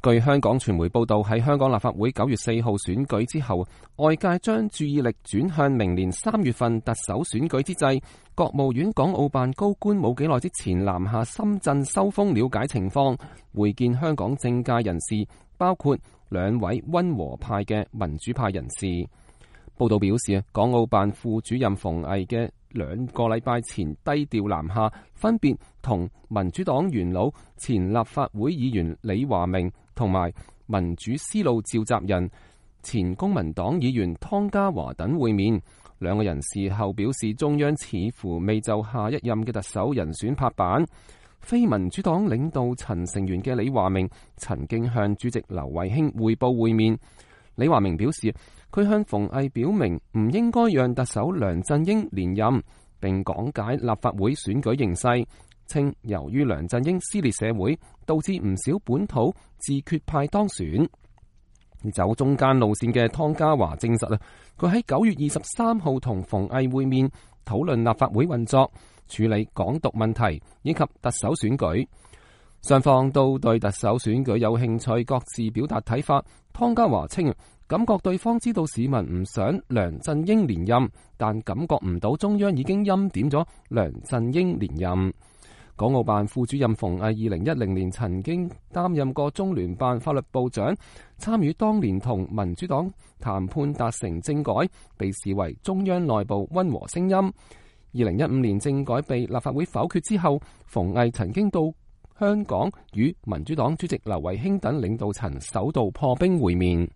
據香港傳媒報道，喺香港立法會9月4號選舉之後，外界將注意力轉向明年3月份特首選舉之際，國務院港澳辦高官冇幾耐之前南下深圳收風了解情況，會見香港政界人士，包括2位溫和派嘅民主派人士。報道表示，港澳辦副主任馮毅嘅2個禮拜前低調南下，分別同民主黨元老、前立法會議員李華明同埋民主思路召集人、前公民黨議員湯家驊等會面。2個人事後表示，中央似乎未就下一任嘅特首人選拍板。非民主黨領導層成員嘅李華明曾經向主席劉慧卿匯報會面。李華明表示，佢向馮毅表明唔應該讓特首梁振英連任，並講解立法會選舉形勢，稱由於梁振英撕裂社會，導致唔少本土自決派當選。走中間路線嘅湯家驊證實，佢喺9月23號同馮毅會面，討論立法會運作、處理港獨問題以及特首選舉。雙方都對特首選舉有興趣，各自表達睇法。湯家驊稱，感覺對方知道市民唔想梁振英連任，但感覺唔到中央已經欽點咗梁振英連任。港澳辦副主任馮毅2010年曾經擔任過中聯辦法律部長，參與當年同民主黨談判達成政改，被視為中央內部溫和聲音。2015年政改被立法會否決之後，馮毅曾經到香港與民主黨主席劉慧卿等領導層首度破冰會面。